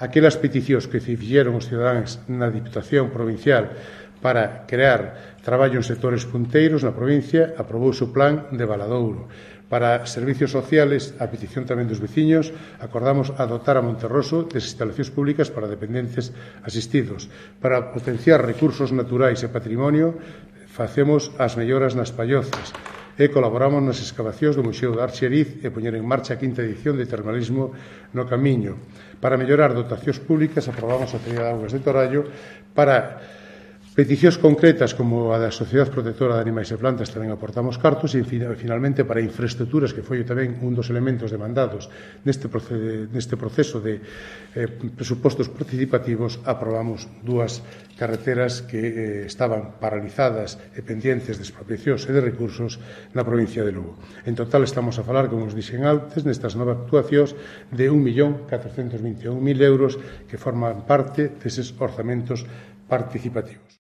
Aquelas peticións que fixeron os cidadáns na Diputación Provincial para crear traballo en sectores punteiros na provincia, aprobouse o plan de Valadouro. Para servicios sociales, a petición tamén dos veciños, acordamos adotar a Monterroso das instalacións públicas para dependentes asistidos. Para potenciar recursos naturais e patrimonio, facemos as melloras nas pallozas e colaboramos nas excavacións do Museo de Arxeriz e poñer en marcha a quinta edición de Termalismo no Camiño. Para mellorar dotacións públicas, aprobamos a Feria de Augas de Torallo. Para peticións concretas como a da Sociedade Protectora de Animais e Plantas tamén aportamos cartos e, finalmente, para infraestructuras, que foi tamén un dos elementos demandados neste proceso de presupostos participativos, aprobamos dúas carreteras que estaban paralizadas e pendientes de expropiacións e de recursos na provincia de Lugo. En total estamos a falar, como os dixen antes, nestas novas actuacións de 1.421.000 euros que forman parte deses orzamentos participativos.